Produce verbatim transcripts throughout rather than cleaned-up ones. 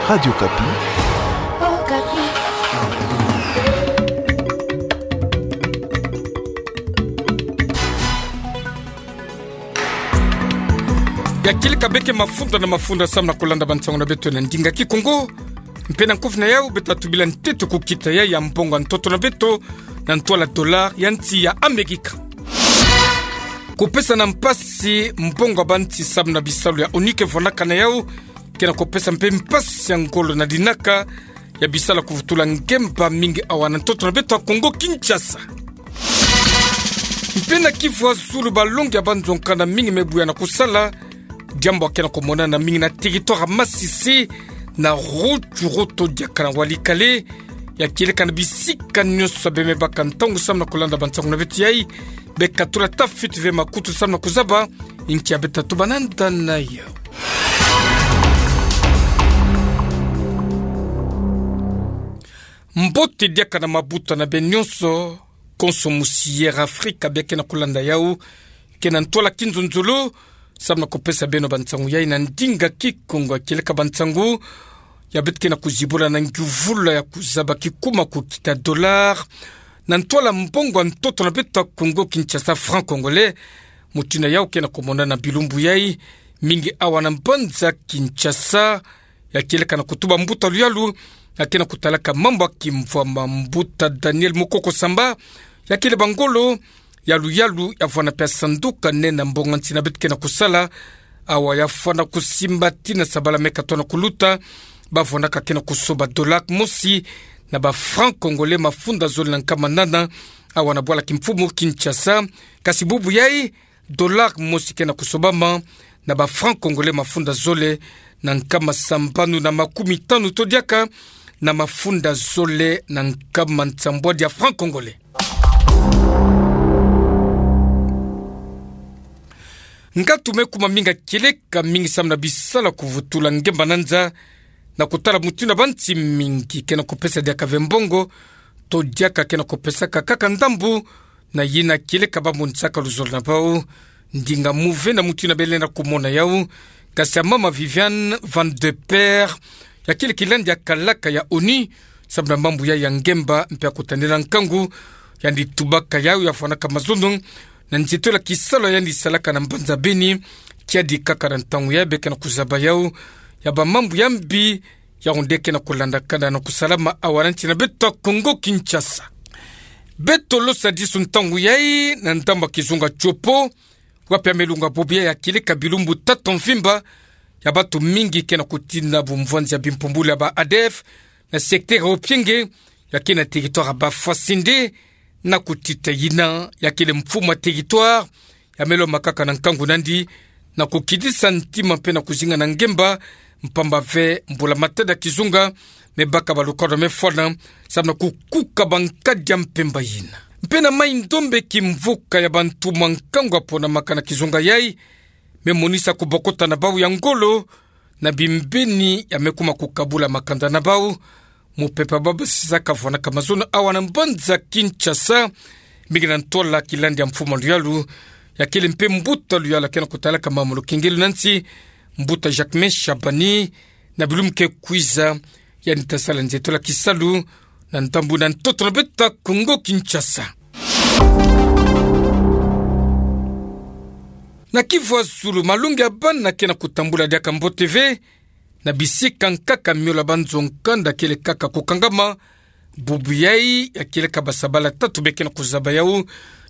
Radio Okapi. Ya kieleka beke mafunda na mafunda samu na kulanda bansangu na beto na ndinga Kikongo. Mpe na nkufi na yau, beta tubila ntete ku kita ya, ya mbongo ya ntoto na beto, na ntwala dollar ya nsi ya Amerika. Kupesa na mpasi mbongo ya bansi samu na bisalu ya ONU ke vwanaka na yau, ke na kupesa mpe mpasi ya ngolo na linaka ya bisalu ya kuvutula ngemba mingi awa na ntoto na beto ya Kongo Kinshasa. Mpe na kivu ya zulu, balongi ya banzo nkanda mingi me buya na kusala, diambu ya ke na kumonana mingi na territoire ya Masisi, na Rutshuru to diaka na Walikale, ya kieleka na bisika nyonso bie me baka ntangu samu na kulanda bansangu na beto yai. Beka tula tafiti ve makutu samu na kuzaba inki ya beta tuba nanda na yau. Mbote diaka na mabuta na beno nyonso, konso musi Air Afrika bie ke na kulanda yau, ke na ntwala kinzonzolo, samu na kupesa beno bansangu yai na ndinga Kikongo ya kieleka bansangu ya beto ke na kuzibula na ngiuvula ya kuzaba kikuma ku kita dollar, na ntwala mbongo ya ntoto na beto ya Kongo Kinshasa, franc congolais. Mutindu yau ke na kumonana na bilumbu yai, mingi awa na mbanza Kinshasa, ya kieleka na kutuba mbuta luyalu ya ke na kutalaka mambu ya kimvwama, mbuta Daniel Mukoko Samba, ya kele bangolo ya luyalu ya vwana mpe sanduka nene ya mbongo ya nsi na beto ke na kusala, awa ya fwana kusimba tina sabala me katona kuluta, ba vwanaka ke na kusoba dollar mosi na ba franc congolais mafunda zole na nkama nana, awa na bwala kimfumu Kinshasa. Kasi bubu yai, dollar mosi ke na kusobama na ba franc congolais mafunda zole na nkama sambanu na makumi tanu to diaka na mafunda zole na nkama nsambwadi ya franc congolais. Ngatu me kuma mingi ya kieleka mingi samu na bisalu ya kuvutula ngemba na nza, na kutala mutindu ya bansi mingi ke na kupesa diaka ve mbongo, to diaka ke na kupesaka kaka ndambu na yina kieleka ba monisaka luzolo na bau. Ndinga mu ve na mutindu bie lenda kumona yau, kasi ya mama Viviane Van de Peer, ya kele kilandi ya kalaka ya ONU samu na mambu yai ya ngemba mpe ya kutanela nkangu, yandi tubaka yau ya vwanaka mazono na nzitolo ya kisalu yandi salaka na mbanza Beni, kiadi kaka na ntangu yai bie ke na kuzaba yau ya ba mambu ya mbi, ya onde ke na kulandakana na kusalama awa na nsi na beto ya Kongo Kinshasa. Beto losa disu ntangu yai na ndambu ya kizunga Tshopo, wapi ya me lunga bobo yai ya kieleka bilumbu tatu mvimba, ya bantu mingi ke na kutina bumvwanzi ya bimpumbulu ya ba ADF na secteur ya Opienge, ya ke na territoire ya ba Fasende, na kutita yina ya kele mfumu ya territoire, ya me lomba kaka na nkangu nandi na kukidisa ntima mpe na kuzinga na ngemba, mpamba ve mbula matadi ya kizunga me baka, balukadwa me fwana samu na kukuka bankadi ya mpemba yina. Mpe na Mai-Ndombe, kimvuka ya bantu mwa nkangu ya ponamaka na kizunga yai, me monisa kubokota na bau ya ngolo na bimbeni ya me kuma kukabula makanda na bau. Mupepe ya ba basisa ka vwanaka mazono awa na mbanza Kinshasa, mingi na ntwala kilandi ya mfumu ya luyalu, ya kele mpe mbuta luyalu ya ke na kutalaka mambu ya lukengelo na nsi, mbuta Jacquemain Shabani, na bilumbu ke kwiza, yandi ta sala nzitolo ya kisalu na ndambu na ntoto na beto ya Kongo Kinshasa. Na kivu ya zulu, malongi ya bana ke na kutambula diaka mbote ve na bisika nkaka, miole ya banzo nkanda kele kaka kukangama. Bubu yai ya kieleka basabala tatu bie ke na kuzaba yau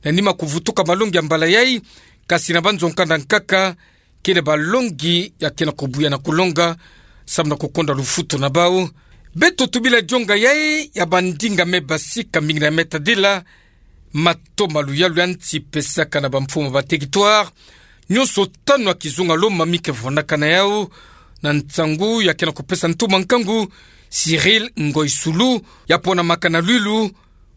na nima kuvutuka malongi ya mbala yai, kasi na banzo nkanda nkaka, kele balongi ya ke na kubuya na kulonga samu na kukonda lufutu na bau. Beto tubila dionga yai ya bandinga me basika mingi na me tadila matoma luyalu ya nsi pesaka na bamfumu ya ba territoire nyonso tanu ya kizunga Loma mi ke vwanaka na yau, na nsangu ya ke na kupesa ntumwa nkangu Cyril Ngoï Soulou, ya ponamaka na Lwilu,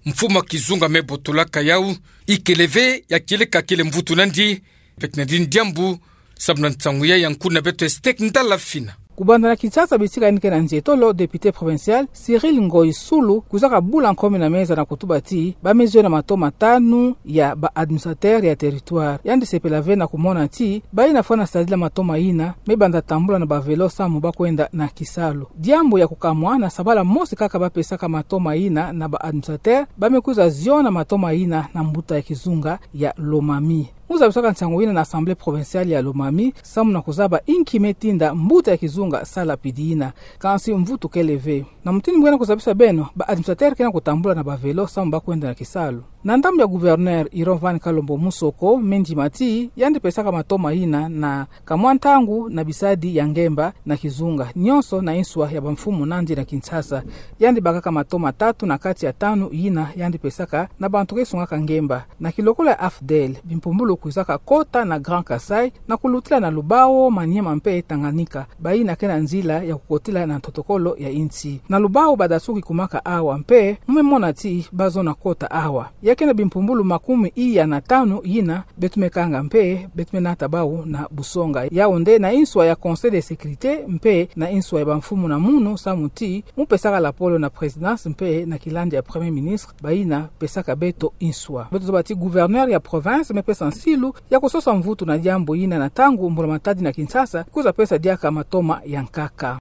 mfumu ya kizunga me botolaka yau. Ikele ve ya kieleka kele mvutu nandi, pekna dini diambu samu na nsangu yai ya nkuna beto Esther Ndala Fina. Kubanda na Kinshasa, bisika yandi ke na nzietolo, député provincial Cyril Ngoyi Sulu kwizaka bula nkomi na meza na kutuba ti bamezue na matoma tanu ya ba administrateur ya territoire. Yandi sepela ve na kumona ti bayina fwana sadila matoma yina me banda tambula na ba vélo samu bakwenda na kisalu. Diambu ya kukamwa, na sabala mosi kaka bapesaka matoma yina na ba administrateur, ba me kwiza ziona matoma yina na mbuta ya kizunga ya Lomami. Mu zabisaka nsangu yina na Assemblée provinciale ya Lomami samu na kuzaba inki me tinda mbuta ya kizunga sala pidi yina. Kansi mvutu kele ve. Na mutindu mu ke na kuzabisa beno, ba administrateur ke na kutambula na ba vélo samu bakwenda na kisalu. Na ndambu ya gouverneur Irovan Kalombo Musoko, me ndima ti yandi pesaka matoma yina na kamwa ntangu na bisadi ya ngemba na kizunga, nionso na inswa ya bamfumu nandi na Kinshasa. Yandi bakaka matoma tatu na kati ya tanu yina yandi pesaka na bantu ke sungaka ngemba. Na kilokola ya AFDL, bimpumbulu kwizaka kota na Grand Kasaï na kulutila na Lubao, Maniema mpe Tanganyika, bayina ke na nzila ya kukotila na ntotokolo ya insi. Na Lubao, badasuki kumaka awa mpe mu me mona ti bazona kota awa. Ya ke na bimpumbulu makumi iya na tanu yina beto me kanga mpe beto me nata bau na busonga. Yaoundé, na inswa ya Conseil de sécurité mpe na inswa ya bamfumu na munu samu ti mu pesaka lapolo na présidence mpe na kilandi ya Premier ministre, bayina pesaka beto inswa. Beto zaba ti gouverneur ya province me pesa nsilu ya kusosa mvutu na diambu yina na ntangu mbula-matadi na Kinshasa kwiza pesa diaka matoma ya nkaka.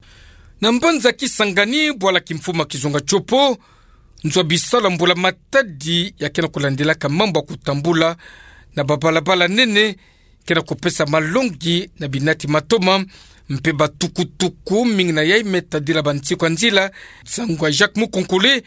Na mbanza Kisangani, bwala kimfumu ya kizunga Tshopo, nzo ya bisalu ya mbula-matadi ya ke na kulandilaka mambu ya kutambula na babalabala nene ke na kupesa malongi na binati matoma mpe batukutuku, mingi na yai me tadila bansiku ya nzila. Nsangu ya Jacques Mukonkole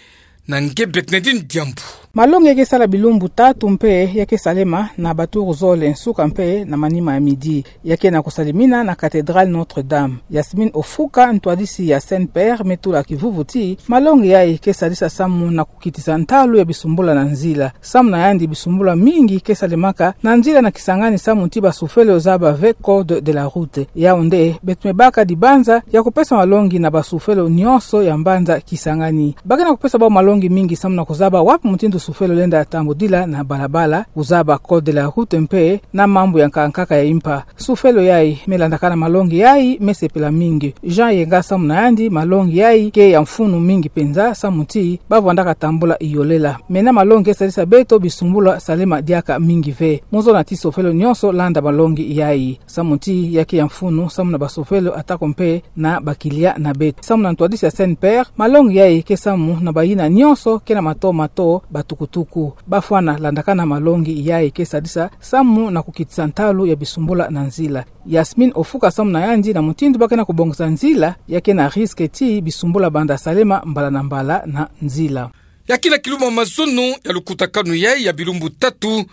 na nge Bernardine Diambu. Malongi ya ke sala bilumbu tatu mpe ya ke salema na baturu zole nsuka mpe na manima ya midi. Ya ke na kusalimina na cathédrale Notre-Dame. Yasmine Ofuka, ntwadisi ya CNPR, me tula kivuvu ti malongi yai ke sadisa samu na kukitisa ntalu ya bisumbula na nzila. Samu na yandi, bisumbula mingi ke salemaka na nzila na Kisangani samu ti basufelo zaba ve code de la route. Yaoundé, beto me baka dibanza ya kupesa malongi na basufelo nionso ya mbanza Kisangani. Ba ke na kupesa bau malongi mingi samu na kuzaba wapi mutindu sufelo lenda tambudila na balabala, kuzaba code de la route mpe na mambu ya nkaka nkaka ya impa. Sufelo yai me landakana malongi yai me sepela mingi. Jean Yenga, samu na yandi, malongi yai ke ya mfunu mingi penza samu ti ba vwandaka tambula iolela. Mena malongi ke sadisa beto bisumbula salema diaka mingi ve. Mu zona ti sufelo nionso landa malongi yai samu ti ya ke ya mfunu samu na basufelo atako mpe na bakilia na beto. Samu na ntwadisi ya CNPR, malongi yai ke samu na bayina nionso ke na matoma to batukutuku. Ba fwana landakana malongi yai ke sadisa samu na kukitisa ntalu ya bisumbula na nzila. Yasmine Ofuka, samu na yandi, na mutindu ba ke na kubongisa nzila, ya ke na risque ti bisumbula banda salema mbala na mbala na nzila. Ya ke na kiluma mazono ya lukutakanu yai ya bilumbu tatu,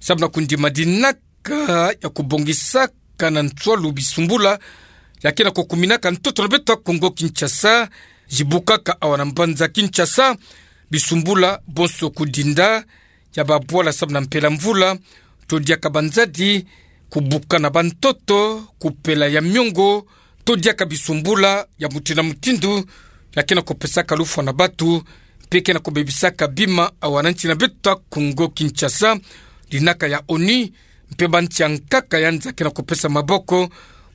samu na kundima dinaka ya kubongisaka na nswalu bisumbula ya ke na kukuminaka ntoto na beto ya Kongo Kinshasa. Zibukaka awa na mbanza Kinshasa bisumbula bonso: kudinda ya babwala samu na mpela mvula, to diaka banzadi, kubuka na bantoto, kupela ya miongo, to diaka bisumbula ya mutindu na mutindu ya ke na kupesaka lufwa na batu mpe ke na kubebisaka bima awa na nsi na beto ya Kongo Kinshasa. Dinaka ya ONU mpe bansi ya nkaka ya nza ke na kupesa maboko,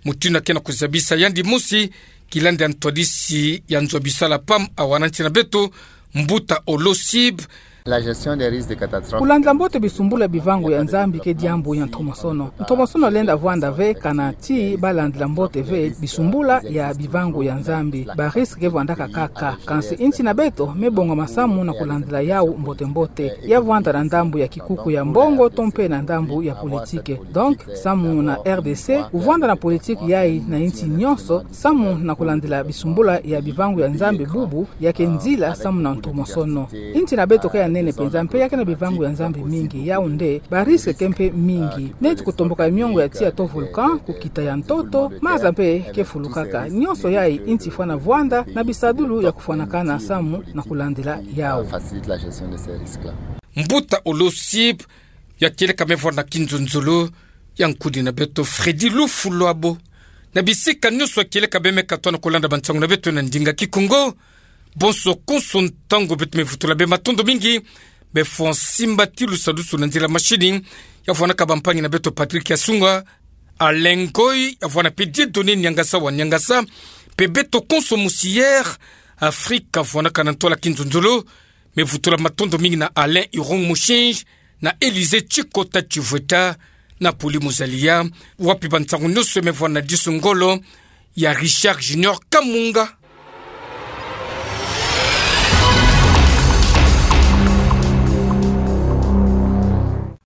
mutindu ya ke na kuzabisa yandi mosi kilandi ya ntwadisi ya nzo ya bisalu ya PAM awa na nsi na beto, mbuta Olo Sib. La gestion des risques de catastrophe. Kulandila mbote bisumbula ya bivangu ya Nzambi ke diambu ya ntomosono. Ntomosono lenda vwanda ve kana ti ba landila mbote ve bisumbula ya bivangu ya Nzambi. Ba risque ke vwandaka kaka. Kansi nsi na beto me bonga masamu na kulandila yau mbote-mbote. Ya vwanda na ndambu ya kikuku ya mbongo to mpe na ndambu ya politique. Donc, samu na RDC, kuvwanda na politique yai na nsi nionso, samu na kulandila bisumbula ya bivangu ya Nzambi bubu, ya ke nzila samu na ntomosono. Nsi na beto ke ya nene penza mpe ya ke na bivangu ya Nzambi mingi, yaoundé, ba risque ke mpe mingi. Neti kutomboka ya miongo ya tiya to volcan, kukita ya ntoto, maza mpe ke fulukaka. Nionso yai nsi fwana vwanda na bisadulu ya kufwanakana samu na kulandila yau. Facilite la gestion de ces risques-là. Mbuta Olo Sib, ya kieleka me vwanda na kinzonzolo ya nkudi na beto Freddy Lufulwabo. Na bisika nionso ya kieleka beno me katuka na kulanda bansangu na beto na ndinga Kikongo, bonso konso ntangu beto me vutula beno matondo mingi. Me fwa nsimbatilu sadusu na nzila mashini ya vwanaka bampangi na beto Patrick Yasunga, Alain Ngoy, ya vwana mpe Dieudonné Niangasa wa Niangasa, Bebeto konso mosier Afrika, vwanakanatola ki nzonzolo. Me vutula matondo mingi na Alain Irung Mushinji, na Elise Chikota Chivueta, na Poli Muzalia, wapi ba nsangu nyoso me vwa na disu ngolo ya Richard Junior Kamunga.